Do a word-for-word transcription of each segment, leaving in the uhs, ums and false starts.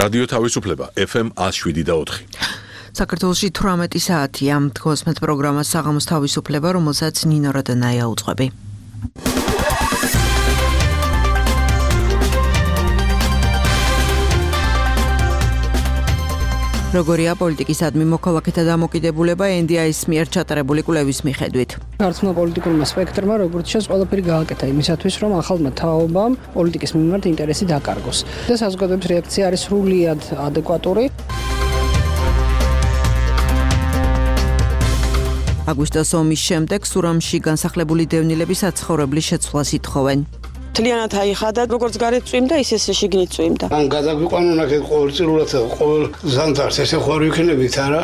რადიო თავისუფლება ეფ ემ ათს შვიდი და ოთხი. საქართველოში თვრამეტი საათია. თქოსმეთ პროგრამა საღამოს თავისუფლება, რომელსაც ნინო რადანაია უძღვები. როგორია პოლიტიკისადმი მოქალაქეთა დამოკიდებულება ენ დი აის მიერ ჩატარებული კვლევის მიხედვით. გარცმულ პოლიტიკურმა სპექტრმა როგორც შეს ყველაფერი გააკეთა იმისათვის, რომ ახალმა თაობამ პოლიტიკის მიმართ ინტერესი დაკარგოს. და საზოგადოების რეაქცია არის სრულიად ადეკვატური. აგვისტოს ომის შემდეგ სურამში განსახლებული დევნილები საცხოვრებლის შეცვლას ითხოვენ. თლიანად აიხადა, როგორც გარეთ წვიმდა, ისე შიგნით წვიმდა. ან გადაგვიყვანონ აქეთ ყოველწლიურად ყოველ ზამთარს ესე ხوار ვიქნებით, არა?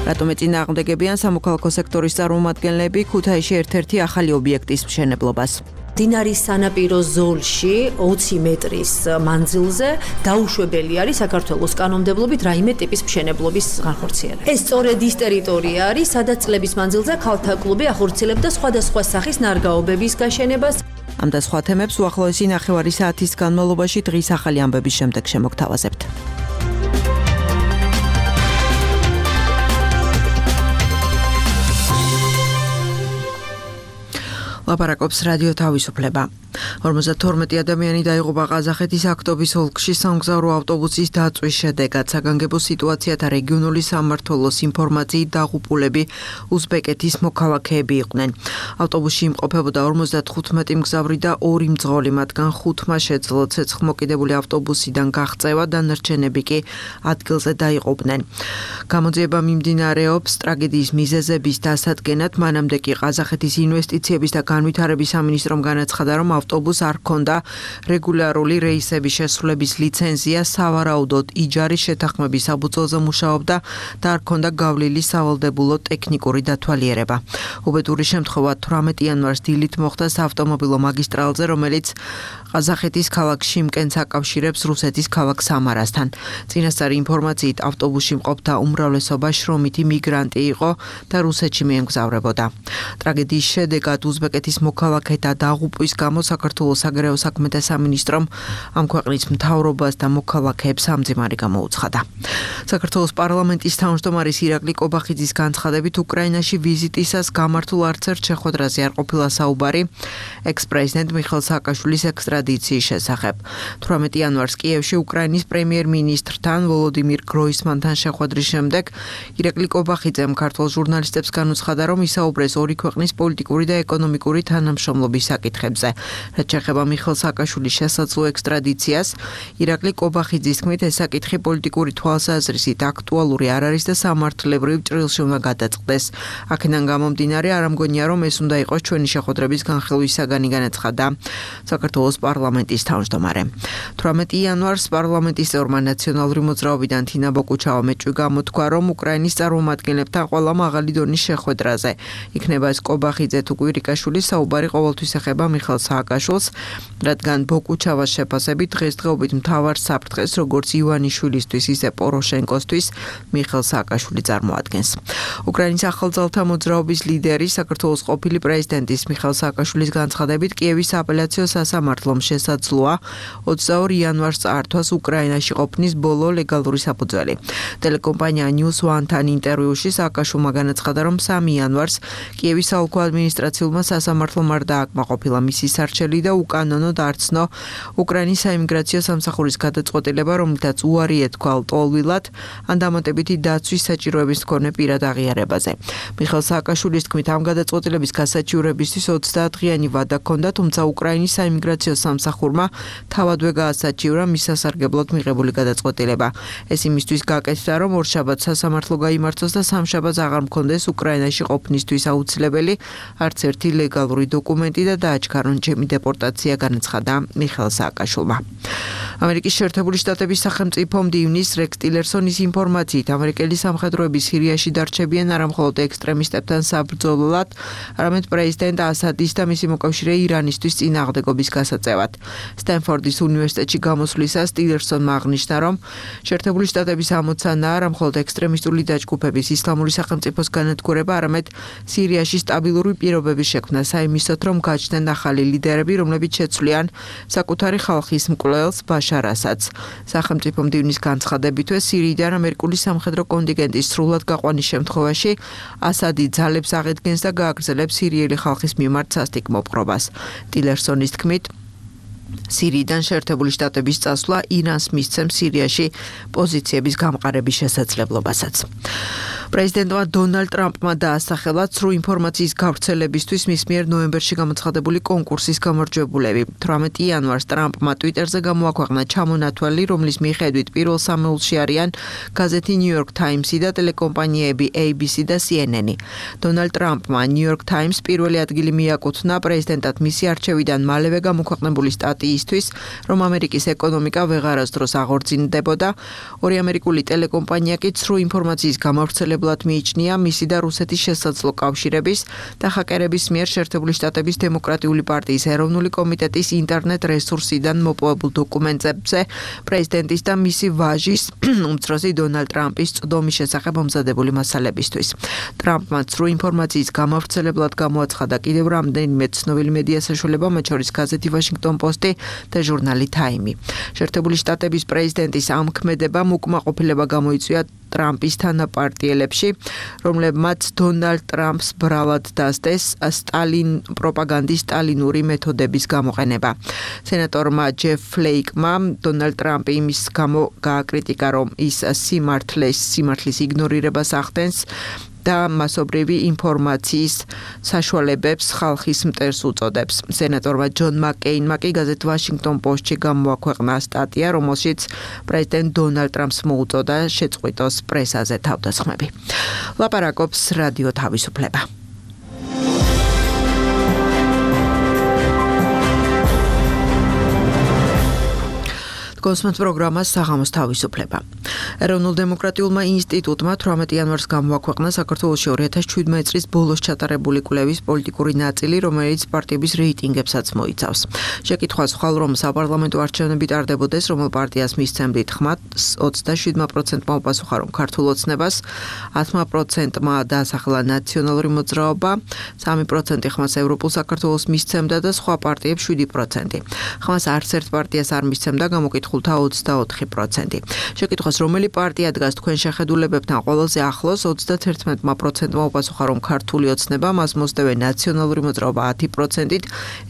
რატომ ეწინააღმდეგებიან სამოქალაქო სექტორის წარმომადგენლები ქუთაისში ერთ-ერთი ახალი ობიექტის მშენებლობას? დინარის სანაპირო ზოლში ოცი მეტრის მანძილზე დაუშვებელი არის საქართველოს კანონმდებლობით რაიმე ტიპის მშენებლობის განხორციელება. ეს სწორედ ის ტერიტორია არის, სადაც წლების მანძილზე ქალთა კლუბი ახორციელებდა სხვადასხვა სახის ნარგავობების გაშენებას. ამ და სხვა თემებს უახლოესი ნახევარი საათის განმავლობაში დღის ახალი ამბების შემდეგ შემოგთავაზებთ. ლაპარაკობს რადიო თავისუფლება. ორმოცდათორმეტი ადამიანი დაიღუპა ყაზახეთის აქტობის ოლქში სამგზავრო ავტობუსის დაწვის შედეგად. საგანგებო სიტუაციათა რეგიონული სამმართველოს ინფორმაციით დაღუპულები უზბეკეთის მოქალაქეები იყვნენ. ავტობუსში იმყოფებოდა ორმოცდათხუთმეტი მგზავრი და ორი მძღოლი, მათგან ხუთმა შეძლო ცეცხლმოკიდებული ავტობუსიდან გაღწევა, დანარჩენები კი ადგილზე დაიღუპნენ. გამოძიება მიმდინარეობს ტრაგედიის მიზეზების დასადგენად, მანამდე კი ყაზახეთის ინვესტიციების და განვითარების სამინისტრომ განაცხადა, რომ ავტობუსს არ ჰქონდა რეგულარული რეისების შესრულების ლიცენზია, სავარაუდოდ იჯარის შეთანხმების საფუძველზე მუშაობდა და არ ჰქონდა გავლილი სავალდებულო ტექნიკური დათვალიერება. უბედური შემთხვევა თვრამეტი იანვარს დილით მოხდა საავტომობილო მაგისტრალზე, რომელიც ყაზახეთის ქალაქ შიმკენს აკავშირებს რუსეთის ქალაქ სამარასთან. წინასწარი ინფორმაციით ავტობუსში მყოფთა უმრავლესობა შრომითი მიგრანტი იყო და რუსეთში მიემგზავრებოდა. ტრაგედიის შედეგად უზბეკეთის მოქალაქეთა დაღუპვის გამო საქართველოს საგარეო საქმეთა სამინისტრომ ამ ქვეყნის მთავრობას და მოქალაქეებს სამძიმარი გამოუცხადა. საქართველოს პარლამენტის თავმჯდომარის ირაკლი კობახიძის განცხადებით, უკრაინაში ვიზიტისას გამართულ არც ერთ შეხვედრაზე არ ყოფილა საუბარი ექს-პრეზიდენტ მიხეილ სააკაშვილის ექსტრადიციის შესახებ. თვრამეტი იანვარს კიევში უკრაინის პრემიერ-მინისტრთან ვოლოდიმირ გროისმანთან შეხვედრის შემდეგ ირაკლი კობახიძემ ქართველ ჟურნალისტებს განუცხადა, რომ ისაუბრეს ორი ქვეყნის პოლიტიკური და ეკონომიკური თანამშრომლობის საკითხებზე. რაც შეეხება მიხეილ სააკაშვილის შესაძლო ექსტრადიციას, ირაკლი კობახიძის თქმით, ეს საკითხი პოლიტიკური თვალსაზრისით აქტუალური არ არის და სამართლებრივ ჭრილში უნდა გადაწყდეს. აქედან გამომდინარე, არ ამგონია, რომ ეს უნდა იყოს ჩვენი შეხვედრების განხილვის საგანი, განაცხადა საქართველოს პარლამენტის თავმჯდომარე. თვრამეტი იანვარს პარლამენტის წევრმა ნაციონალური მოძრაობიდან თინა ბოკუჩავა მეჭვი გამოთქვა, რომ უკრაინის წარმომადგენლებთან ყველა მაღალი დონის შეხვედრაზე იქნება ეს კობახიძე თუ კვირიკაშვილი საუბარი ყოველთვის ეხება მიხეილ სააკაშვილს, რადგან ბოკუჩავას შეფასებით დღესდღეობით მთავარ საფრთხეს როგორც ივანიშვილისთვის, ისე პოროშენკოსთვის მიხეილ სააკაშვილი წარმოადგენს. უკრაინის ახალძალთა მოძრაობის ლიდერი, საქართველოს ყოფილი პრეზიდენტის მიხეილ სააკაშვილის განცხადებით, კიევის აპელაციო სასამართლომ შესაძლოა ოცდაორ იანვარს წაართვას უკრაინაში ყოფნის ბოლო ლეგალური საფუძველი. ტელეკომპანია News One-თან ინტერვიუში სააკაშვილმა განაცხადა, რომ სამი იანვარს კიევის საოლქო ადმინისტრაციულმა სასამართლომ არ დააკმაყოფილა მისი სარჩელი და უკანონო დაარწნო უკრაინის საიმიგრაციო სამსახურის გადაწყვეტილება, რომლითაც უარი ეთქვა ლტოლვილად ან დამატებითი დაცვის საჭიროების მქონე პირად აღიარებაზე. მიხეილ სააკაშვილის თქმით, ამ გადაწყვეტილების გასაჩივრებისთვის ოცდაათდღიანი ვადა ჰქონდა, თუმცა უკრაინის საიმიგრაციო სამსახურმა თავადვე გაასაჩივრა მის სასარგებლოდ მიღებული გადაწყვეტილება. ეს იმისთვის გაკეთდა, რომ ორშაბათს სასამართლო გაიმართოს და სამშაბათს აღარ მქონდეს უკრაინაში ყოფნისთვის აუცილებელი არც ერთი ლეგალური დოკუმენტი და დააჩქარონ ჩემი დეპორტაცია, განაცხადა მიხეილ სააკაშვილმა. ამერიკის შეერთებული შტატების სახელმწიფო მდივნის რექს ტილერსონის ინფორმაციით, ამერიკელი სამხედროები სირიაში დარჩებიან არა მხოლოდ ექსტრემისტებთან საბრძოლოდ, არამედ პრეზიდენტ ასადის და მისი მოკავშირე ირანისთვის წინააღმდეგობის გასაწევად. სტენფორდის უნივერსიტეტში გამოსვლისას ტილერსონმა აღნიშნა, რომ შეერთებული შტატების ამოცანა არა მხოლოდ ექსტრემისტული დაჯგუფების ისლამური სახელმწიფოს განადგურება, არამედ სირიაში სტაბილური პირობების შექმნა, საიმისოდ რომ გაჩნდნენ ახალი ლიდერები, რომლებიც შეცვლიან საკუთარი ხალხის მკვლელს ბაშარ ასადს. სახელმწიფო მდივნის განცხადებითვე სირიიდან ამერიკული სამხედრო კონტინგენტის სრულად გაყვანის შემთხვევაში ასადი ძალებს აღედგენს და გააგრძელებს სირიელი ხალხის მიმართ სასტიკ მოპყრობას. ტილერსონის თქმით, სირიიდან შეერთებული შტატების წასვლა ირანს მისცემს სირიაში პოზიციების გამყარების შესაძლებლობასაც. პრეზიდენტმა დონალდ ტრამპმა დაასახელა ცრუ ინფორმაციის გავრცელებისთვის მის მიერ ნოემბერში გამოცხადებული კონკურსის გამარჯვებულები. თვრამეტი იანვარს ტრამპმა ტვიტერზე გამოაქვეყნა ჩამონათვალი, რომლის მიხედვით პირველ სამეულში არიან გაზეთი New York Times-ი და ტელეკომპანიები A B C და C N N-ი. დონალდ ტრამპმა New York Times პირველი ადგილი მიაკუთვნა პრეზიდენტად მისი არჩევიდან მალევე გამოქვეყნებული სტატიისთვის, რომ ამერიკის ეკონომიკა ვეღარასდროს აღორძინდებოდა. ორი ამერიკული ტელეკომპანია კი ცრუ ინფორმაციის გამავრცელებლად მიიჩნია მისი და რუსეთის შესაძლო კავშირების და ჰაკერების მიერ შეერთებული შტატების დემოკრატიული პარტიის ეროვნული კომიტეტის ინტერნეტ რესურსიდან მოპოვებულ დოკუმენტებზე პრეზიდენტის და მისი ვაჟის უმცროსი დონალდ ტრამპის წვდომის შესახებ მომზადებული მასალებისთვის. ტრამპმა ცრუ ინფორმაციის გამავრცელებლად გამოაცხადა კიდევ რამდენიმე ცნობილი მედია საშუალება, მათ შორის გაზეთი Washington Post-ი და ჟურნალი Time-ი. შეერთებული შტატების პრეზიდენტის ამ ქმედებამ უკმაყოფილება გამოიწვია ტრამპის თანაპარტიელებში, რომლებმაც დონალდ ტრამპს ბრალად დასდეს სტალინ პროპაგანდის სტალინური მეთოდების გამოყენება. სენატორმა ჯეფ ფლეიკმა დონალდ ტრამპი იმის გამო გააკრიტიკა, რომ ის სიმართლეს სიმართლის იგნორირებას ახდენს და მასობრივი ინფორმაციის საშუალებებს ხალხის მტერს უწოდებს. სენატორმა ჯონ მაკეინმა კი გაზეთ Washington Post-ში გამოაქვეყნა სტატია, რომელშიც პრეზიდენტ დონალდ ტრამპს მოუწოდა შეწყვიტოს პრესაზე თავდასხმები. ლაპარაკობს რადიო თავისუფლება. კონსმენთ პროგრამა საღამოს თავისუფლება. ეროვნულ დემოკრატიულმა ინსტიტუტმა თვრამეტი იანვარს გამოაქვეყნა საქართველოში ორი ათას შვიდმეტი წლის ბოლოს ჩატარებული კვლევის პოლიტიკური ნაწილი, რომელიც პარტიების რეიტინგებსაც მოიცავს. შეკითხვა სხვალ, რომ საპარლამენტო არჩევნები ტარდებოდეს, რომელ პარტიას მისცემდით ხმას, ოცდაშვიდ პროცენტმა უპასუხა, რომ ქართულ ოცნებას, ათი პროცენტმა დაასახელა ნაციონალური მოძრაობა, სამი პროცენტი ხმას ევროპულ საქართველოს მისცემდა და სხვა პარტიებს შვიდი პროცენტი. ხმას არც ერთ პარტიას არ მისცემდა გამოკითხულ ოცდაოთხი პროცენტი. შეკითხვას, რომელი პარტია დგას თქვენ შეხედულებებთან ყველაზე ახლოს, ოცდათერთმეტ პროცენტმა უპასუხა, რომ ქართული ოცნება, მას მოსდევენ ნაციონალური მოძრაობა ათი პროცენტით,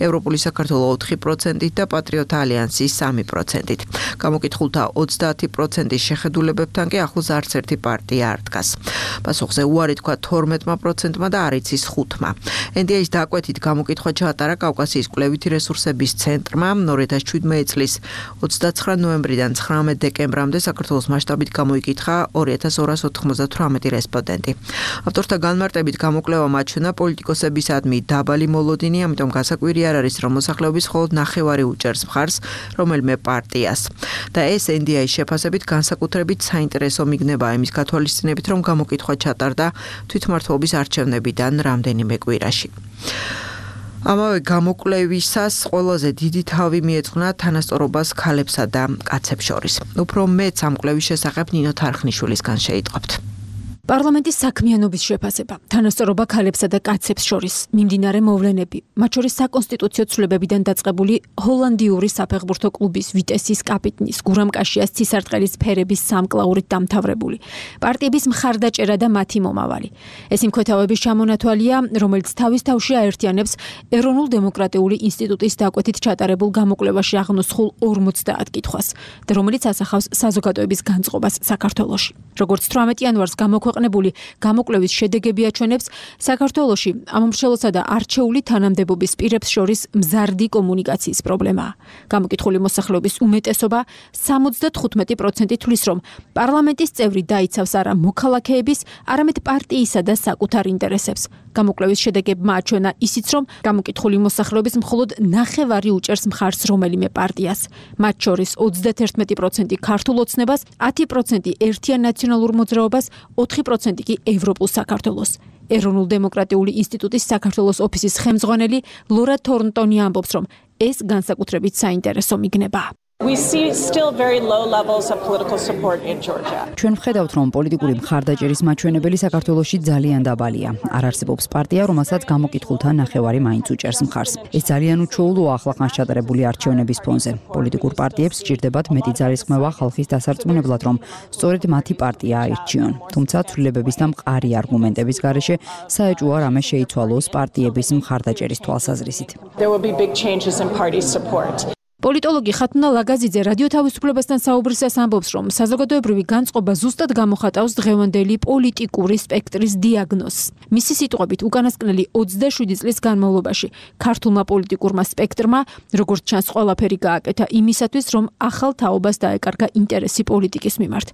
ევროპული საქართველო ოთხი პროცენტით და პატრიოტთა ალიანსი სამი პროცენტით. გამოკითხულთა ოცდაათი პროცენტის შეხედულებებთან კი ახლოს არც ერთი პარტია არ დგას. პასუხზე უარი თქვა თორმეტ პროცენტმა და არ იცის ხუთმა. N D A-ის დაკვეთით გამოკითხვა ჩაატარა კავკასიის კვლევითი რესურსების ცენტრმა ორი ათას შვიდმეტი წლის ოცდაცხრა ნოემბრიდან ცხრამეტ დეკემბრამდე საქართველოს მასშტაბით გამოიკითხა ორი ათას ორას ოთხმოცდათვრამეტი რესპონდენტი. ავტორთა განმარტებით გამოკვლევამ აჩვენა პოლიტიკოსებისადმი დაბალი მოლოდინი, ამიტომ გასაკვირი არ არის, რომ მოსახლეობის მხოლოდ ნახევარი უჭერს მხარს რომელიმე პარტიას. და ეს N D A-ის შეფასებით განსაკუთრებით საინტერესო მიგნებაა იმის გათვალისწინებით, რომ გამოკითხვა ჩატარდა თვითმმართველობის არჩევნებიდან რამდენიმე კვირაში. ამავე გამოკვლევისას ყველაზე დიდი თავი მიეძღვნა თანასწორობას ქალებსა და კაცებს შორის. უფრო მეც ამ კვლევის შესახებ ნინო თარხნიშვილისგან შეიტყობთ. პარლამენტის საქმიანობის შეფასება, თანასწორობა ქალებსა და კაცებს შორის, მიმდინარე მოვლენები, მათ შორის საკონსტიტუციო ცვლილებებიდან დაწყებული ჰოლანდიური საფეხბურთო კლუბის ვიტესის კაპიტნის გურამ კაშიას ცისარტყელის სფერების სამკლაურით დამთავრებული, პარტიების მხარდაჭერა და მათი მომავალი. ეს იმქვეთავების ჩამონათვალია, რომელიც თავის თავში აერთიანებს ეროვნულ დემოკრატიული ინსტიტუტის დაკვეთით ჩატარებულ გამოკვლევაში აღნოსხულ ორმოცდაათ კითხვას და რომელიც ასახავს საზოგადოების განწყობას საქართველოში. როგორც თვრამეტი იანვარს გამოქვეყნებული გამოკვლევის შედეგები აჩვენებს, საქართველოში ამომრჩევლსა და არჩეული თანამდებობის პირებს შორის მზარდი კომუნიკაციის პრობლემაა. გამოკითხული მოსახლეობის უმეტესობა სამოცდათხუთმეტი პროცენტი თვლის, რომ პარლამენტის წევრი დაიცავს არა მოქალაქეების, არამედ პარტიისა და საკუთარ ინტერესებს. გამოკვლევის შედეგებმა აჩვენა ისიც, რომ გამოკითხული მოსახლეობის მხოლოდ ნახევარი უჭერს მხარს რომელიმე პარტიას. მათ შორის ოცდაათი პროცენტი ქართულ ოცნებას, ათი პროცენტი ერთიან ნაციონალურ მოძრაობას, ოთხი პროცენტი კი ევროპულ საქართველოს. ეროვნულ დემოკრატიული ინსტიტუტის საქართველოს ოფისის ხელმძღვანელი ლორა თორნტონი ამბობს, რომ ეს განსაკუთრებით საინტერესო მიგნებაა. We see still very low levels of political support in Georgia. ჩვენ ვხედავთ, რომ პოლიტიკური მხარდაჭერის მაჩვენებელი საქართველოში ძალიან დაბალია. არ არსებობს პარტია, რომელსაც გამოკითხულთა ნახევარი მაინც უჭერს მხარს. ეს ძალიან უჩვეულოა ახლახანს ჩატარებული არჩევნების ფონზე. პოლიტიკურ პარტიებს სჭირდებათ მეტი ძალისხმევა ხალხის დასარწმუნებლად, რომ სწორედ მათი პარტია აირჩიონ. თუმცა ცვლილებების და მყარი არგუმენტების გარეშე საეჭვოა რამე შეიცვალოს პარტიების მხარდაჭერის თვალსაზრისით. There will be big changes in party support. პოლიტოლოგი ხათუნა ლაგაზიძე რადიო თავისუფლებასთან საუბრისას ამბობს, რომ საზოგადოებრივი განწყობა ზუსტად გამოხატავს დღევანდელი პოლიტიკური სპექტრის დიაგნოზს. მისი სიტყვებით, უკანასკნელი ოცდაშვიდი წლის განმავლობაში ქართულმა პოლიტიკურმა სპექტრმა, როგორც ჩანს, ყველაფერი გააკეთა იმისათვის, რომ ახალ თაობას დაეკარგა ინტერესი პოლიტიკის მიმართ.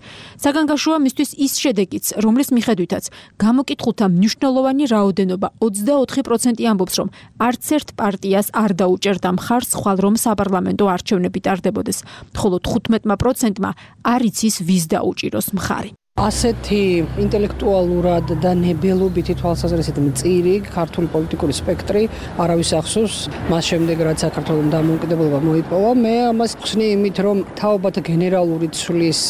საგანგაშოა მისთვის ის შედეგიც, რომლის მიხედვითაც გამოკითხულთა მნიშვნელოვანი რაოდენობა ოცდაოთხი პროცენტი ამბობს, რომ არც ერთ პარტიას არ დაუჭერდა მხარს ხვალ რომ საპარლამენტო არჩევნები ტარდებოდეს, ხოლო თხუთმეტი პროცენტმა არ იცის ვის დაუჭიროს მხარი. ასეთი ინტელექტუალურად და ნებელობითი თვალსაზრისით მწირი ქართული პოლიტიკური სპექტრი არავის ახსოვს მას შემდეგ რაც საქართველოს დამოუკიდებლობა მოიპოვა. მე ამას ხსნი იმით, რომ თაობათა გენერალური ცვლის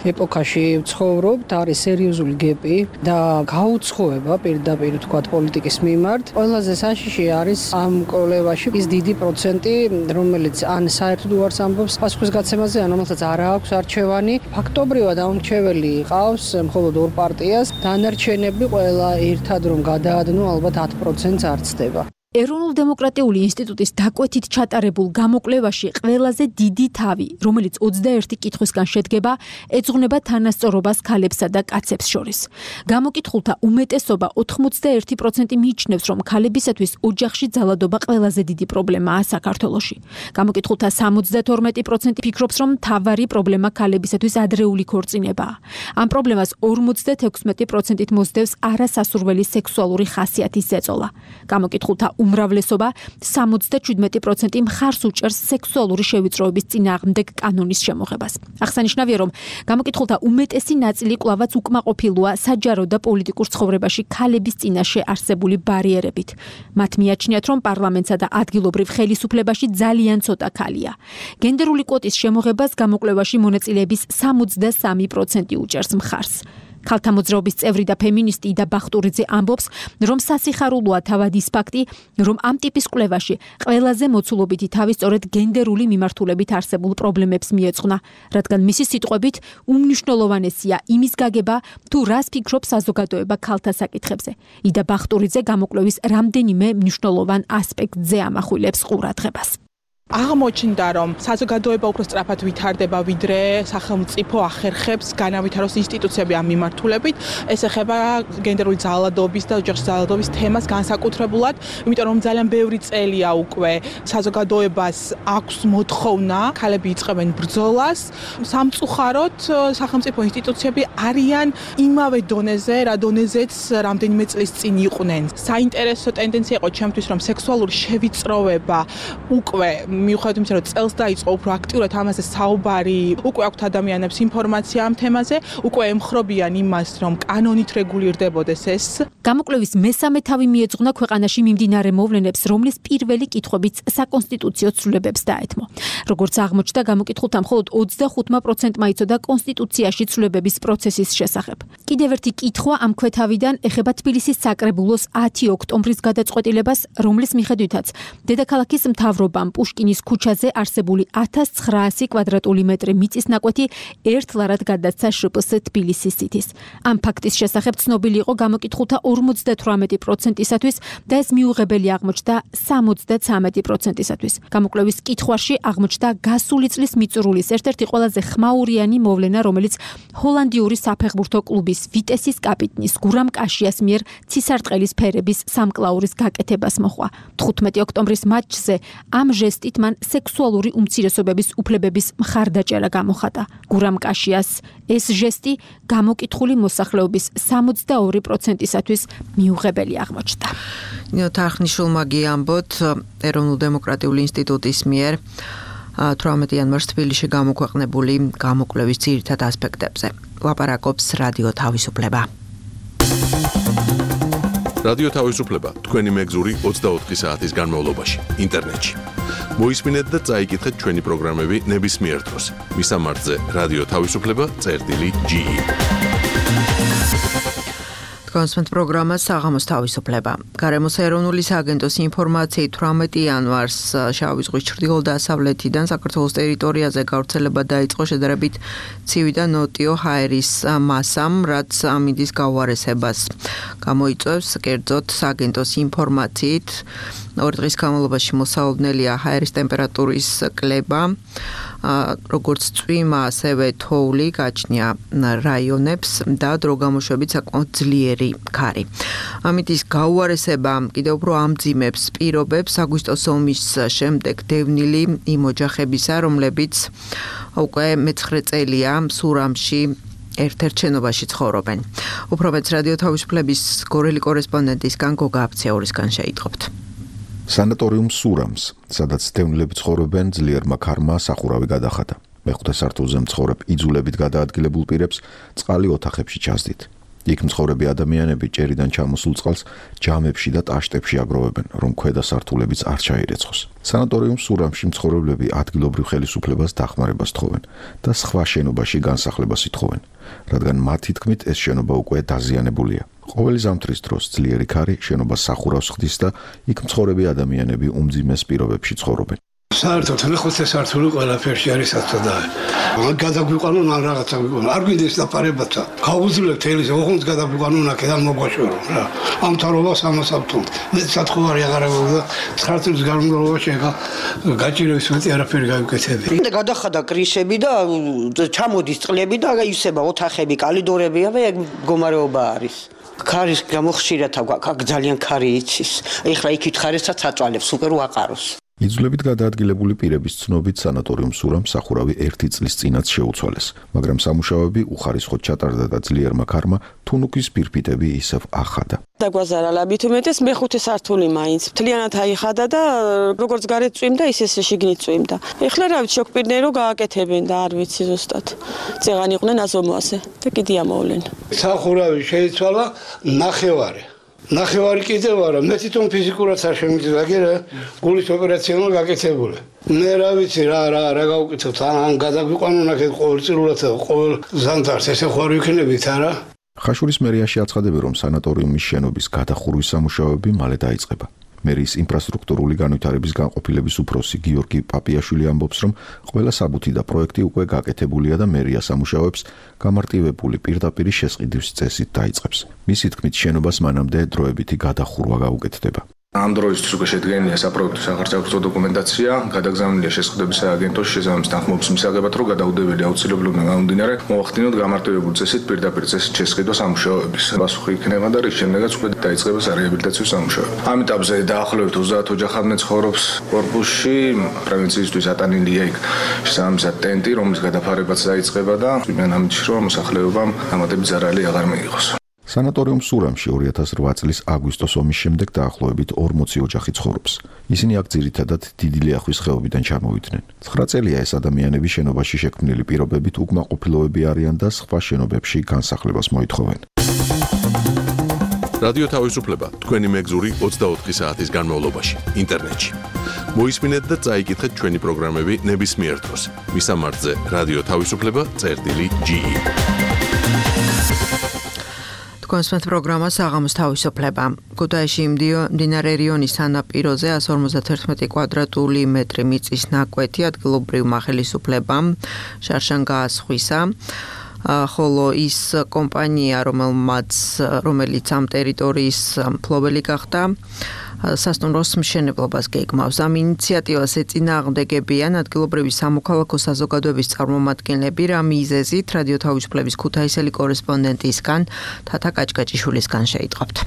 ეპოქაში ვცხოვრობთ, არის სერიოზული გეპი და გაუცხოება პირდაპირ თქვა პოლიტიკის მიმართ. ყველაზე საშიში არის ამ კოლევაში ის დიდი პროცენტი, რომელიც ან საერთოდ უარს ამბობს პასუხისგაცემაზე, ან რომელსაც არ აქვს არჩევანი. ფაქტობრივად აუმრჩეველი ყავს მხოლოდ ორ პარტიას, დანარჩენები ყველა ერთად რომ გადაადნო, ალბათ ათი პროცენტს არ ცდება. ეროვნულ-დემოკრატიული ინსტიტუტის დაკვეთით ჩატარებულ გამოკვლევაში ყველაზე დიდი თავი, რომელიც ოცდაერთი კითხვისგან შედგება, ეძღვნება თანასწორობას ქალებსა და კაცებს შორის. გამოკითხულთა უმეტესობა ოთხმოცდაერთი პროცენტი მიიჩნევს, რომ ქალებისათვის ოჯახში ძალადობა ყველაზე დიდი პრობლემაა საქართველოში. გამოკითხულთა სამოცდათორმეტი პროცენტი ფიქრობს, რომ მთავარი პრობლემა ქალებისათვის ადრეული ქორწინებაა. ამ პრობლემას ორმოცდათექვსმეტი პროცენტით მოსდევს არასასურველი სექსუალური ხასიათის ზეწოლა. გამოკითხულთა უმრავლესობა სამოცდაშვიდმეტი პროცენტი მხარს უჭერს სექსუალური შევიწროების წინააღმდეგ კანონის შემოღებას. აღსანიშნავია, რომ გამოკითხულთა უმეტესი ნაწილი კვლავაც უკმაყოფილოა საჯარო და პოლიტიკურ ცხოვრებაში ქალების წინაშე არსებული ბარიერებით. მათ მიაჩნიათ, რომ პარლამენტსა და ადგილობრივ ხელისუფლებაში ძალიან ცოტა ქალია. გენდერული კვოტის შემოღებას გამოკვლევაში მონაწილეების სამოცდასამი პროცენტი უჭერს მხარს. ქალთა მოძრაობის წევრი და ფემინისტი იდა ბახტურიძე ამბობს, რომ სასიხარულოა თავად ის ფაქტი, რომ ამ ტიპის კვლევაში ყველაზე მოცულობითი თავი სწორედ გენდერული მიმართულებით არსებულ პრობლემებს მიეძღვნა, რადგან მისი სიტყვებით უმნიშვნელოვანესია იმის გაგება, თუ რას ფიქრობს საზოგადოება ქალთა საკითხებზე. იდა ბახტურიძე გამოკვლევის რამდენიმე მნიშვნელოვან ასპექტზე ამახვილებს ყურადღებას. აღმოჩნდა, რომ საზოგადოება უფრო სწრაფად ვითარდება, ვიდრე სახელმწიფო ახერხებს განავითაროს ინსტიტუციები ამ მიმართულებით. ეს ეხება გენდერული ძალადობის და ოჯახში ძალადობის თემას განსაკუთრებულად, იმიტომ რომ ძალიან ბევრი წელია უკვე საზოგადოებას აქვს მოთხოვნა, ქალები იწყებენ ბრძოლას. სამწუხაროდ სახელმწიფო ინსტიტუციები არიან იმავე დონეზე, რა დონეზეც რამდენიმე წლის წინ იყვნენ. საინტერესო ტენდენცია იყო ჩემთვის, რომ სექსუალური შევიწროება უკვე მიუხედავად იმისა, რომ წელს დაიწყო უფრო აქტიურად ამაზე საუბარი, უკვე აქვთ ადამიანებს ინფორმაცია ამ თემაზე, უკვე ემხრობიან იმას, რომ კანონით რეგულირდებოდეს ეს. გამოკვლევის მესამე თავი მიეძღვნა ქვეყანაში მიმდინარე მოვლენებს, რომლის პირველი კითხვებიც საკონსტიტუციო ცვლილებებს დაეთმო. როგორც აღმოჩნდა, გამოკითხულთა მხოლოდ ოცდახუთმა პროცენტმა იცოდა კონსტიტუციაში ცვლილებების პროცესის შესახებ. კიდევ ერთი კითხვა ამ ქვეთავიდან ეხება თბილისის საკრებულოს ათი ოქტომბრის გადაწყვეტილებას, რომლის მიხედვითაც დედაქალაქის მთავრობამ პუშკინის ქუჩაზე არსებული ათას ცხრაასი კვადრატული მეტრი მიწის ნაკვეთი ერთლარად გადაცა შპს თბილისის სიტის. ამ ფაქტის შესახებ ცნობილი იყო გამოკითხულთა ორმოცდათვრამეტი პროცენტისათვის და ეს მიუღებელი აღმოჩნდა სამოცდაცამეტი პროცენტისათვის. გამოკვლევის კითხვაში აღმოჩნდა გასული წლის მიწურულის ერთ-ერთი ყველაზე ხმაურიანი მოვლენა, რომელიც ჰოლანდიური საფეხბურთო კლუბის ვიტესის კაპიტნის გურამ კაშიას მიერ ცისარტყელის ფერების სამკლაურის გაკეთებას მოჰყვა. თხუთმეტი ოქტომბრის მატჩზე ამ ჟესტით მან სექსუალური უმცირესობების უფლებების მხარდაჭერა გამოხატა. გურამ კაშიას ეს ჟესტი გამოკითხული მოსახლეობის სამოცდაორი პროცენტისათვის მიუღებელი აღმოჩნდა. ნინო თარხნიშვილმა გიამბოთ ეროვნულ-დემოკრატიული ინსტიტუტის მიერ თვრამეტი იანვარს თბილისში გამოქვეყნებული გამოკვლევის ძირითად ასპექტებზე. ლაპარაკობს რადიო თავისუფლება. რადიო თავისუფლება თქვენი მეგზური ოცდაოთხი საათის განმავლობაში ინტერნეტში. მოისმინეთ და წაიკითხეთ ჩვენი პროგრამები ნებისმიერ დროს. მისამართზე რადიო თავისუფლება წერტილი ჯი. კონსპენთ პროგრამა საღამოს თავისუფლება. გარემოს ეროვნული სააგენტოს ინფორმაციით თვრამეტი იანვარს შავი ზღვის ჩრდილო-დასავლეთიდან საქართველოს ტერიტორიაზე გავრცელება დაიწყო შედარებით ცივი და ნოტიო ჰაერის მასამ, რაც ამინდის გაუარესებას გამოიწვევს. კერძოდ სააგენტოს ინფორმაციით ორი დღის განმავლობაში მოსალოდნელია ჰაერის ტემპერატურის კლება, როგორც წვიმა, ასევე თოვლი გაჩნია რაიონებს და დრო გამოშვებით საკმაოდ ძლიერი ქარი. ამინდის გაუარესება კიდევ უფრო ამძიმებს პირობებს აგვისტოს ომის შემდეგ დევნილი იმ ოჯახებისა, რომლებიც უკვე მეცხრე წელია სურამში ერთ-ერთ შენობაში ცხოვრობენ. უფრო მეც რადიო თავისუფლების გორელი კორესპონდენტისგან გოგა აფცეურისგან შეიტყობთ. სანატორიუმ სურამს, სადაც დევნილები ცხოვრობენ, ძლიერმა ქარმა სახურავი გადახადა. მეხუთე სართულზე მცხოვრებ იძულებით გადაადგილებულ პირებს წყალი ოთახებში ჩასდით. იქ მცხოვრები ადამიანები ჭერიდან ჩამოსულ წყალს ჯამებში და ტაშტებში აგროვებენ, რომ ქვედა სართულებიც არ ჩაირეცხოს. სანატორიუმ სურამში მცხოვრებლები ადგილობრივ ხელისუფლებას დახმარებას თხოვენ და სხვა შენობაში განსახლებას ითხოვენ, რადგან მათი თქმით ეს შენობა უკვე დაზიანებულია. ყოველი ზამთრის დროს ძლიერი ქარი შენობას სახურავს ხდის და იქ მცხოვრები ადამიანები უმძიმეს პირობებში ცხოვრობენ. საერთოდ მეხუთე სართული ყველაფერში არის საწოდაა. ან გადაგვიყვანონ ან რაღაცა გვიყვანონ. არ გვინდეს დაფარებაცა. გავუძლებთ ელის ოღონდ გადაგვიყვანონ აქედან მოგვაშორო რა. ამ თარობას ამას ავთუნთ. მე სათხოვარი აღარ აღდა ცხრა წლის განმავლობაში ეხა გაჭირების მეტი არაფერი გავიკეთები. და გადახადა კრიშები და ჩამოდის წყლები და ისება ოთახები, კალიდორებია და ეგ მდგომარეობა არის. ქარის გამოხშირად აქ ძალიან ქარი იცის. ეხლა იქით ხარესაც აწვალებს, უკვე რო აყაროს. იძულებით გადაადგილებული პირების ცნობით სანატორიუმ სურამს სახურავი ერთი წლის წინაც შეუცვალეს, მაგრამ სამუშაოები უხარისხოდ ჩატარდა და ძლიერმა ქარმა თუნუქის ფირფიტები ისევ ახადა. დაგვაზარა ლაბით უმეტეს მეხუთე სართული მაინც მთლიანად აიხადა და როგორც გარეთ წვიმდა, ისე შიგნით წვიმდა. ეხლა რა ვიცი, შოქპირნეი რო გააკეთებენ და არ ვიცი ზუსტად. წეღან იყვნენ აზომვაზე და კიდე ამოვლენ. სახურავი შეიცვალა ნახევარი. ნახევარი კიდევ არა, მე თვითონ ფიზიკურად არ შემიძლია, გერა გულის ოპერაციონალ გაკეთებული. მე რა ვიცი რა რა რა გავუკეთოთ, ან გადაგვიყვანონ აქეთ ყოველწლიურად ყოველ ზამთარს ესე ხوار ვიქნებით არა? ხაშურის მერიაში აცხადებენ, რომ სანატორიუმის შენობის გადახურვის სამუშაოები მალე დაიწყება. მერის ინფრასტრუქტურული განვითარების განყოფილების უფროსი გიორგი პაპიაშვილი ამბობს, რომ ყველა საბუთი და პროექტი უკვე გაკეთებულია და მერია სამუშაოებს გამარტივებული პირდაპირი შესყიდვის წესით დაიწყებს. მისი თქმით, შენობას მანამდე დროებითი გადახურვა გაუკეთდება. ამ დროისთვის უკვე შედგენილია საპროექტო სახარჯაჭრო დოკუმენტაცია, გადაგზავნილია შესყიდვების სააგენტოში შესაბამის თანხმობის მისაღებად, რომ გადაუდებელი აუცილებლობიდან გამომდინარე მოახდინოთ გამარტივებული წესით პირდაპირ წესით შესყიდვა სამუშაოების. პასუხი იქნება და რის შემდეგაც უკვე დაიწყება სარეაბილიტაციო სამუშაოები. ამ ეტაპზე დაახლოებით ოცდაათ ოჯახამდე ცხოვრობს კორპუსში, პრევენციისთვის ატანილია იქ შესაბამისად ტენტი, რომლის გადაფარებაც დაიწყება და იმენამით რომ მოსახლეობამ დამატებით ზარალი აღარ მიიღოს. სანატორიუმ სურამში ორი ათას რვა წლის აგვისტოს ომის შემდეგ დაახლოებით ორმოცი ოჯახი ცხოვრობს. ისინი აქ ძირითადად დიდი ლიახვის ხეობიდან ჩამოვიდნენ. ცხრა წელია ეს ადამიანები შენობაში შექმნილი პირობებით უკმაყოფილოები არიან და სხვა შენობებში განსახლებას მოითხოვენ. რადიო თავისუფლება თქვენი მეგზური ოცდაოთხი საათის განმავლობაში ინტერნეტში. მოისმინეთ და წაიკითხეთ ჩვენი პროგრამები ნებისმიერ დროს. მისამართზე რადიო თავისუფლება წერტილი ჯი. კონსპენთ პროგრამა საღამოს თავისუფლება. ქუთაისში მდინარე რიონის სანაპიროზე εκατს ორმოცდაერთმეტი კვადრატული მეტრი მიწის ნაკვეთი ადგილობრივ მახელისუფლებამ შარშან გაასხვისა. ხოლო ის კომპანია, რომელმაც რომელიც ამ ტერიტორიის მფლობელი გახდა, სასტუმროს მშენებლობას გეგმავს. ამ ინიციატივას ეწინააღმდეგებიან ადგილობრივი სამოქალაქო საზოგადოების წარმომადგენლები, რა მიზეზით რადიო თავისუფლების ქუთაისელი კორესპონდენტისგან თათა კაჭკაჭიშვილისგან შეიტყობთ.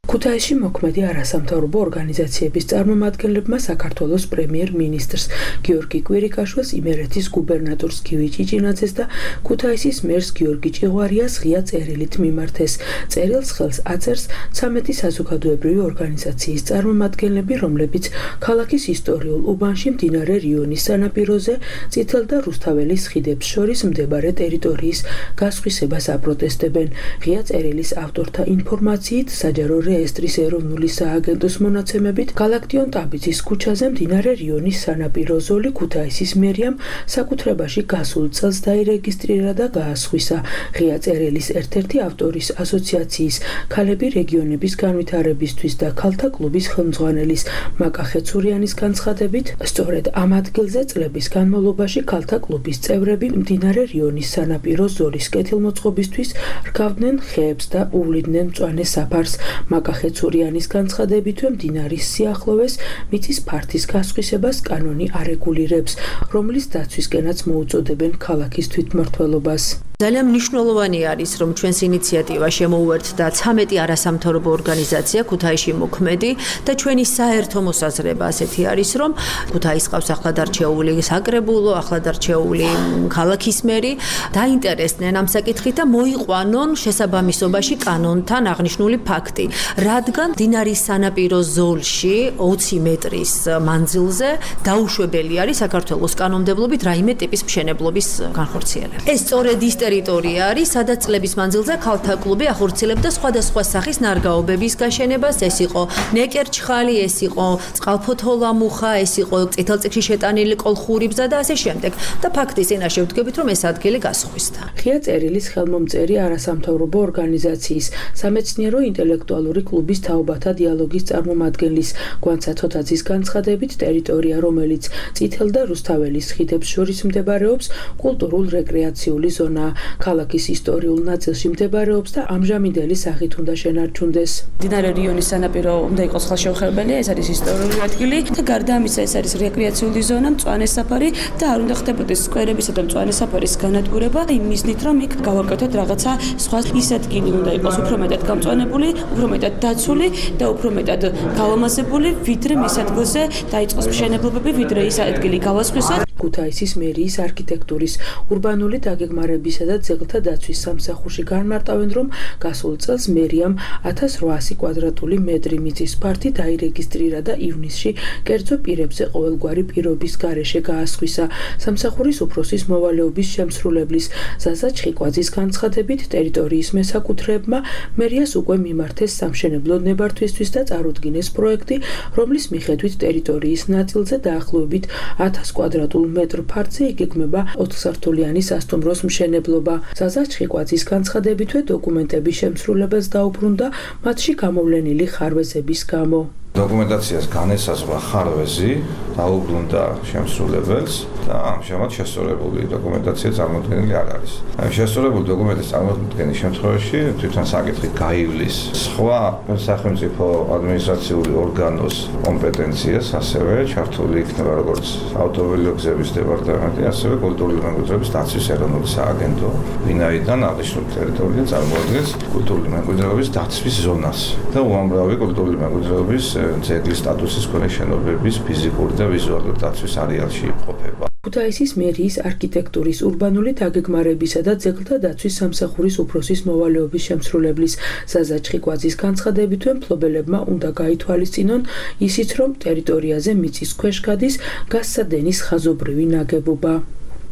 ქუთაისში მოქმედი არასამთავრობო ორგანიზაციების წარმომადგენლებმა საქართველოს პრემიერ-მინისტრს გიორგი კვირიკაშვილს, იმერეთის გუბერნატორს გივი ჭიჭინაძეს და ქუთაისის მერს გიორგი ჭიღვარიას ღია წერილით მიმართეს. წერილს ხელს აწერს ცამეტი საზოგადოებრივი ორგანიზაციის წარმომადგენლები, რომლებიც ქალაქის ისტორიულ უბანში მდინარე რიონის სანაპიროზე წითელ და რუსთაველის ხიდებს შორის მდებარე ტერიტორიის გასხვისებას აპროტესტებენ. ღია წერილის ავტორთა ინფორმაციით საჯარო რეესტრის ეროვნული სააგენტოს მონაცემებით, გალაქტიონ ტაბიძის ქუჩაზე მდინარე რიონის სანაპირო ზოლი ქუთაისის მერიამ საკუთრებაში გასულ წელს დაირეგისტრირა და გაასხვისა. ღია წერილის ერთ-ერთი ავტორის ასოციაციის ქალები რეგიონების განვითარებისთვის და ქალთა კლუბის ხელმძღვანელის მაკა ხეცურიანის განცხადებით, სწორედ ამ ადგილზე წლების განმავლობაში ქალთა კლუბის წევრები მდინარე რიონის სანაპირო ზოლის კეთილმოწყობისთვის რგავდნენ ხეებს და უვლიდნენ მწვანე საფარს. მაკა ხეცურიანის განცხადებითვე მდინარის სიახლოვეს მიწის ფართის გასხვისებას კანონი არეგულირებს, რომლის დაცვისკენაც მოუწოდებენ ქალაქის თვითმმართველობას. ძალიან მნიშვნელოვანი არის, რომ ჩვენს ინიციატივა შემოუერთდა ცამეტი არასამთავრობო ორგანიზაცია, ქუთაისში მოქმედი და ჩვენი საერთო მოსაზრება ასეთი არის, რომ ქუთაისს ყავს ახლადარჩეული საკრებულო, ახლადარჩეული ქალაქის მერი, დაინტერესდნენ ამ საკითხით და მოიყვანონ შესაბამისობაში კანონთან აღნიშნული ფაქტი, რადგან მდინარის სანაპირო ზოლში ოცი მეტრის მანძილზე დაუშვებელი არის საქართველოს კანონმდებლობით რაიმე ტიპის მშენებლობის განხორციელება. ეს სწორედ ის ტერიტორია არის, სადაც წლების მანძილზე ქალთა კლუბი ახორციელებდა სხვადასხვა სახის ნარგავობების გაშენებას. ეს იყო ნეკერჩხალი, ეს იყო წყალფოთოლამუხა, ეს იყო წითელწიგში შეტანილი კოლხური ბზა და ასე შემდეგ. და ფაქტის წინაშე ვდგებით, რომ ეს ადგილი გასხვისდა. ღია წერილის ხელმომწერი არასამთავრობო ორგანიზაციის სამეცნიერო ინტელექტუალური კლუბის თაობათა დიალოგის წარმომადგენლის გვანცა თოთაძის განცხადებით, ტერიტორია, რომელიც წითელ და რუსთაველის ხიდებს შორის მდებარეობს, კულტურულ-რეკრეაციული ზონაა. ქალაქის ისტორიულ ნაწილში მდებარეობს და ამჟამინდელი სახით უნდა შენარჩუნდეს. მდინარე რიონის სანაპირო უნდა იყოს ხელშეუხებელი, ეს არის ისტორიული ადგილი და გარდა ამისა ეს არის რეკრეაციული ზონა, მწვანე საფარი და არ უნდა ხდებოდეს სკვერებისა და მწვანე საფარის განადგურება იმ მიზნით, რომ იქ გავაკეთოთ რაღაცა სხვა ის ადგილი უნდა იყოს უფრო მეტად გამწვანებული, უფრო მეტად დაცული და უფრო მეტად გავამაზებული, ვიდრე მის ადგილზე დაიწყოს მშენებლობები, ვიდრე ის ადგილი გავასხვისოთ. ქუთაისის მერიის არქიტექტურის, ურბანული დაგეგმარებისა და ძეგლთა დაცვის სამსახურში განმარტავენ, რომ გასულ წელს მერიამ ათას რვაასი კვადრატული მეტრი მიწის ფართი დაირეგისტრირა და ივნისში კერძო პირებზე ყოველგვარი პირობის გარეშე გაასხვისა. სამსახურის უფროსის მოვალეობის შემსრულებლის ზაზა ჩხიკვაძის განცხადებით, ტერიტორიის მესაკუთრეებმა მერიას უკვე მიმართეს სამშენებლო ნებართვისთვის და წარუდგინეს პროექტი, რომლის მიხედვით ტერიტორიის ნაწილზე დაახლოებით ათას კვადრატულ მეტრ ფართზე იგეგმება ოთხსართულიანი სასტუმროს მშენებლობა. ზაზა ჩხიკვაძის განცხადებითვე დოკუმენტების შემსრულებელს დაუბრუნდა მათში გამოვლენილი ხარვეზების გამო. დოკუმენტაციას განესაზღვრა ხარვეზი, დაუბრუნდა შემსრულებელს და ამჟამად შესწორებული დოკუმენტაცია წარმოდგენილი არ არის. შესწორებული დოკუმენტის წარმოდგენის შემთხვევაში თვითონ საკითხი გაივლის სხვა სახელმწიფო ადმინისტრაციული ორგანოს კომპეტენციას, ასევე ჩართული იქნება როგორც ავტომობილო გზების დეპარტამენტი, ასევე კულტურული მემკვიდრეობის დაცვის ეროვნული სააგენტო, ვინაიდან აღნიშნული ტერიტორია წარმოადგენს კულტურული მემკვიდრეობის დაცვის ზონას და უამრავი კულტურული მემკვიდრეობის ძეგლის სტატუსის მქონე შენობების ფიზიკური და ვიზუალური დაცვის არეალში იმყოფება. ქუთაისის მერიის არქიტექტურის, ურბანული დაგეგმარებისა და ძეგლთა დაცვის სამსახურის უფროსის მოვალეობის შემსრულებლის ზაზა ჩხიკვაძის განცხადებითვე მფლობელებმა უნდა გაითვალისწინონ ისიც, რომ ტერიტორიაზე მიწის ქვეშ გადის გასცადენის ხაზობრივი ნაგებობა.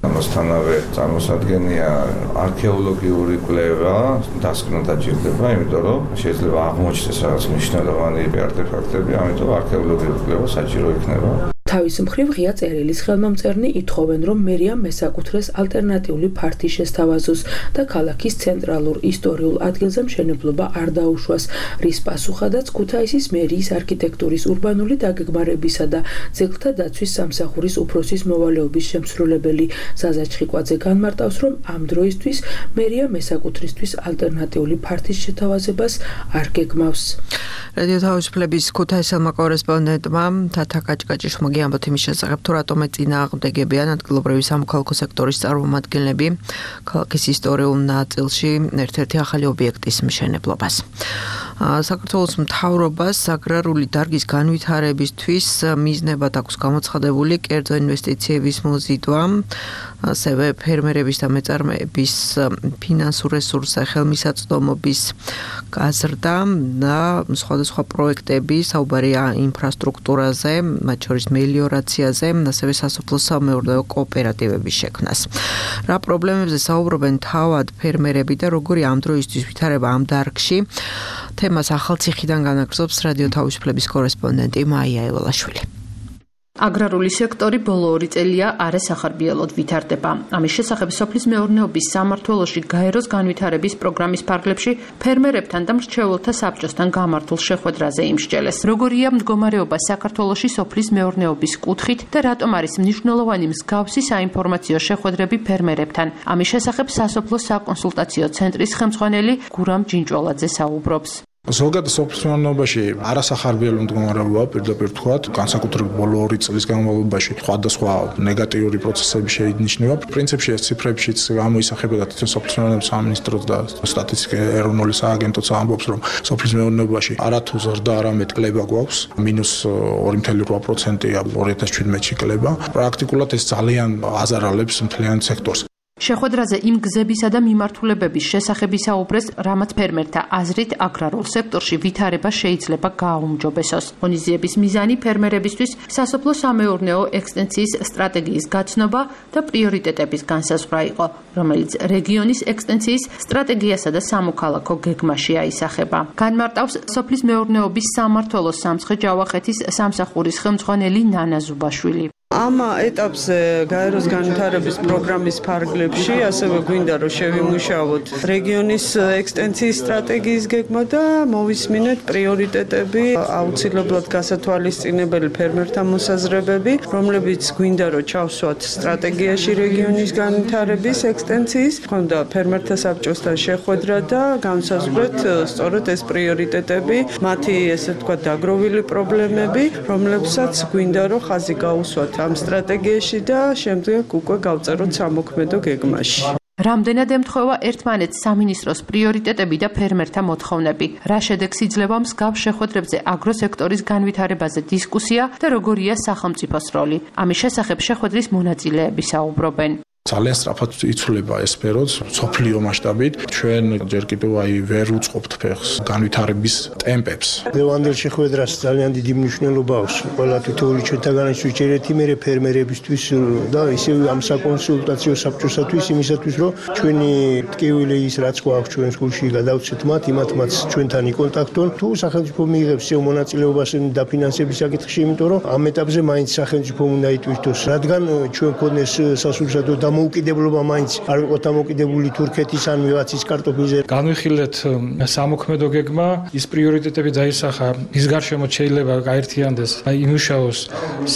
ამასთანავე წარმოსადგენია არქეოლოგიური კვლევა, დასკვნა დაჭირდება, იმიტომ რომ შეიძლება აღმოჩნდეს რაღაც მნიშვნელოვანი არტეფაქტები, ამიტომ არქეოლოგიური კვლევა საჭირო იქნება. თავის მხრივ ღია წერილის ხელმომწერნი ითხოვენ, რომ მერიამ მესაკუთრეს ალტერნატიული ფართი შესთავაზოს და ქალაქის ცენტრალურ ისტორიულ ადგილზე მშენებლობა არ დაუშვას, რის პასუხადაც ქუთაისის მერიის არქიტექტურის, ურბანული დაგეგმარებისა და ძეგლთა დაცვის სამსახურის უფროსის მოვალეობის შემსრულებელი ზაზა ჩხიკვაძე განმარტავს, რომ ამ დროისთვის მერია მესაკუთრისთვის ალტერნატიული ფართის შეთავაზებას არ გეგმავს. რადიო თავისუფლების ქუთაისელმა კორესპონდენტმა თათა კაჭკაჭიშვილმა ამბობთ იმის შესახებ, თუ რატომ ეწინააღმდეგებიან ადგილობრივი სამოქალაქო სექტორის წარმომადგენლები ქალაქის ისტორიულ ნაწილში ერთ-ერთი ახალი ობიექტის მშენებლობას. საქართველოს მთავრობას აგრარული დარგის განვითარებისთვის მიზნებად აქვს გამოცხადებული კერძო ინვესტიციების მოზიდვა, ასევე ფერმერების და მეწარმეების ფინანსურ რესურსზე ხელმისაწვდომობის გაზრდა და სხვადასხვა პროექტები, საუბარია ინფრასტრუქტურაზე, მათ შორის მელიორაციაზე, ასევე სასოფლო-სამეურნეო კოოპერატივების შექმნას. რა პრობლემებზე საუბრობენ თავად ფერმერები და როგორი ამ დროისთვის ვითარება ამ დარგში? თემას ახალციხიდან განაგრძობს რადიო თავისუფლების კორესპონდენტი მაია ევალაშვილი. აგრარული სექტორი ბოლო ორი წელია არასახარბიელოდ ვითარდება. ამის შესახებ სოფლის მეურნეობის სამმართველოში გაეროს განვითარების პროგრამის ფარგლებში ფერმერებთან და მრჩეველთა საბჭოსთან გამართულ შეხვედრაზე იმსჯელეს. როგორია მდგომარეობა საქართველოში სოფლის მეურნეობის კუთხით და რატომ არის მნიშვნელოვანი მსგავსი საინფორმაციო შეხვედრები ფერმერებთან. ამის შესახებ სასოფლო საკონსულტაციო ცენტრის ხელმძღვანელი გურამ ჯინჭვალაძე საუბრობს. ზოგადად სოფლის მეურნეობაში არასახარბიელო მდგომარეობაა, პირდაპირ ვთქვათ, განსაკუთრებით ბოლო ორი წლის განმავლობაში სხვადასხვა ნეგატიური პროცესები შეინიშნება. პრინციპში ეს ციფრებშიც გამოისახება და თვითონ სოფლის მეურნეობის სამინისტროც და სტატისტიკის ეროვნული სააგენტოც ამბობს, რომ სოფლის მეურნეობაში არათუ ზრდა, არამედ კლება გვაქვს, მინუს ორი კoma ორი პროცენტია ორი ათას შვიდმეტში კლება. პრაქტიკულად ეს ძალიან აზარალებს მთლიან სექტორს. შეხვედრაზე იმ გზებისა და მიმართულებების შესახებ ისაუბრეს, რამაც ფერმერთა აზრით აგრარულ სექტორში ვითარება შეიძლება გააუმჯობესოს. ღონისძიების მიზანი ფერმერებისთვის სასოფლო სამეურნეო ექსტენსიის სტრატეგიის გაცნობა და პრიორიტეტების განსაზღვრა იყო, რომელიც რეგიონის ექსტენსიის სტრატეგიასა და სამოქალაქო გეგმაში აისახება. განმარტავს სოფლის მეურნეობის სამმართველოს სამცხე-ჯავახეთის სამსახურის ხელმძღვანელი ნანა ზუბაშვილი. ამ ეტაპზე გაეროს განვითარების პროგრამის ფარგლებში ასევე გვინდა რომ შევიმუშაოთ რეგიონის ექსტენსიის სტრატეგიის გეგმა და მოვისმინეთ პრიორიტეტები, აუცილებლად გასათვალისწინებელი ფერმერთა მოსაზრებები, რომლებიც გვინდა რომ ჩავსვათ სტრატეგიაში რეგიონის განვითარების ექსტენსიის, ხონდა ფერმერთა საბჭოსთან შეხვედრა და განსაზღვრეთ სწორედ ეს პრიორიტეტები, მათი ესე ვთქვათ დაგროვილი პრობლემები, რომლებსაც გვინდა რომ ხაზი გაუსვათ ამ სტრატეგიაში და შემდეგ უკვე გავწეროთ სამოქმედო გეგმაში. რამდენად ემთხვევა ერთმანეთს სამინისტროს პრიორიტეტები და ფერმერთა მოთხოვნები? რა შედეგს იძლევა მსგავს შეხვედრებზე აგროსექტორის განვითარებაზე დისკუსია და როგორია სახელმწიფოს როლი? ამის შესახებ შეხვედრის მონაწილეები საუბრობენ. ძალიან სწრაფად იცვლება ეს სფეროც სოფლიო მასშტაბით. ჩვენ ჯერ კიდევ აი ვერ უწყობთ ფეხს განვითარების ტემპებს. ლევანდელ შეხვედრას ძალიან დიდი მნიშვნელობა აქვს. ყველა თითოეული ჩვენთაგანაც ვიჭერეთ იმერე ფერმერებისთვის და ისევ ამ საკონსულტაციო საბჭოსათვის იმისათვის, რომ ჩვენი ტკივილი ის რაც გვაქვს ჩვენ სკოლში გადავცეთ მათ, იმათმაც ჩვენთან იკონტაქტონ. თუ სახელმწიფო მიიღებს ეს მონაწილეობას დაფინანსების საკითხში, იმიტომ რომ ამ ეტაპზე მაინც სახელმწიფო უნდა იტვირთოს, რადგან ჩვენ ქონდეს სასურსათო და მოუკიდებლობა მაინც არ ვიყოთ ამოკიდებული თურქეთის ან ვიღაცის კარტოფილზე. განვიხილეთ სამოქმედო გეგმა, ის პრიორიტეტები დაისახა, ის გარშემო შეიძლება გაერთიანდეს, აი იმუშაოს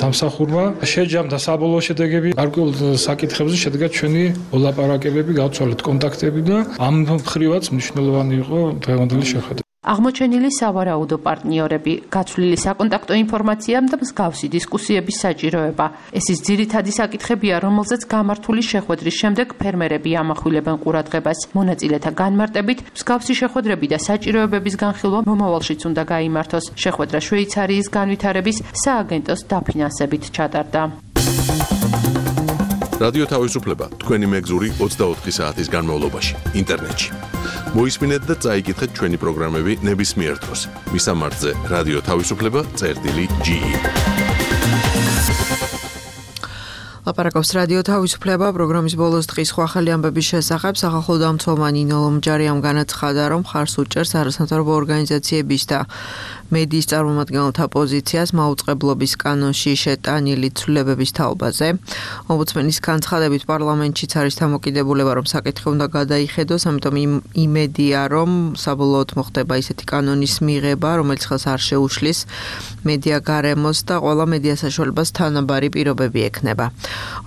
სამსახურმა, შეჯამდა საბოლოო შედეგები, გარკვეულ საკითხებზე შედგა ჩვენი ოლაპარაკებები, გავცვალეთ კონტაქტები და ამ მხრივაც მნიშვნელოვანი იყო დღევანდელი შეხვედრა. აღმოჩენილი სავარაუდო პარტნიორები, გაცვლილი საკონტაქტო ინფორმაცია და მსგავსი დისკუსიების საჭიროება. ეს ის ძირითადი საკითხებია, რომელზეც გამართული შეხვედრის შემდეგ ფერმერები ამახვილებენ ყურადღებას. მონაწილეთა განმარტებით, მსგავსი შეხვედრები და საჭიროებების განხილვა მომავალშიც უნდა გაიმართოს. შეხვედრა შვეიცარიის განვითარების სააგენტოს დაფინანსებით ჩატარდა. რადიო თავისუფლება თქვენი მეგზური ოცდაოთხი საათის განმავლობაში ინტერნეტში. მოისმინეთ და წაიკითხეთ ჩვენი პროგრამები ნებისმიერ დროს. მისამართზე რადიო თავისუფლება წერტილი ჯი ი. ლაპარაკობს რადიო თავისუფლება პროგრამის ბოლოს დღის სხვა ხელი ამბების შესახებ. სახალხო დამცველმანი ნინო ლომჯარიამ განაცხადა, რომ მხარს უჭერს არასამთავრობო ორგანიზაციების და მედიის წარმომადგენელთა პოზიციას მაუწყებლობის კანონში შეტანილი ცვლილებების თაობაზე. ომბუდსმენის განცხადებით პარლამენტშიც არის დამოკიდებულება, რომ საკითხი უნდა გადაიხედოს, ამიტომ იმედია, რომ საბოლოოდ მოხდება ისეთი კანონის მიღება, რომელიც ხელს არ შეუშლის მედია გარემოს და ყველა მედია საშუალებას თანაბარი პირობები ექნება.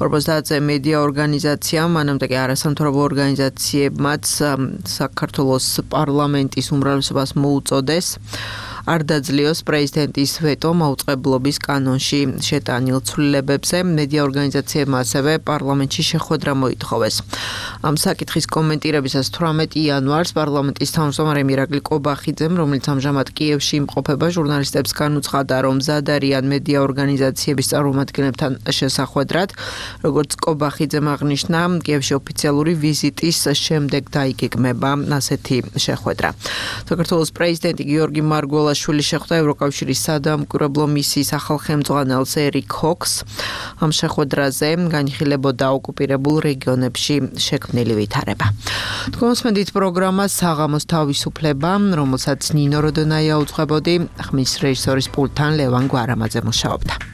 ორმოცდაათზე მედია ორგანიზაციამ, მანამდე კი არასამთავრობო ორგანიზაციებმაც საქართველოს პარლამენტის უმრავლესობას მოუწოდეს არ დაძლიოს პრეზიდენტის ვეტო მაუწყებლობის კანონში შეტანილ ცვლილებებზე. მედია ორგანიზაციებმა ასევე პარლამენტში შეხვედრა მოითხოვეს. ამ საკითხის კომენტირებისას თვრამეტი იანვარს პარლამენტის თავმჯდომარე მირაკლი კობახიძემ, რომელიც ამჟამად კიევში იმყოფება, ჟურნალისტებს განუცხადა, რომ მზად არიან მედია ორგანიზაციების წარმომადგენლებთან შესახვედრად. როგორც კობახიძემ აღნიშნა, კიევში ოფიციალური ვიზიტის შემდეგ დაიგეგმება ასეთი შეხვედრა. საქართველოს პრეზიდენტი გიორგი მარგველა ბელაშვილი შეხვდა ევროკავშირის სადამკვირვებლო მისიის ახალ ხელმძღვანელს ერიკ ჰოქს. ამ შეხვედრაზე განიხილებოდა ოკუპირებულ რეგიონებში შექმნილი ვითარება. თქვენსმენდით პროგრამა საღამოს თავისუფლება, რომელსაც ნინო როდონაია უძღვებოდი, ხმის რეჟისორის პულტთან ლევან გვარამაძე მუშაობდა.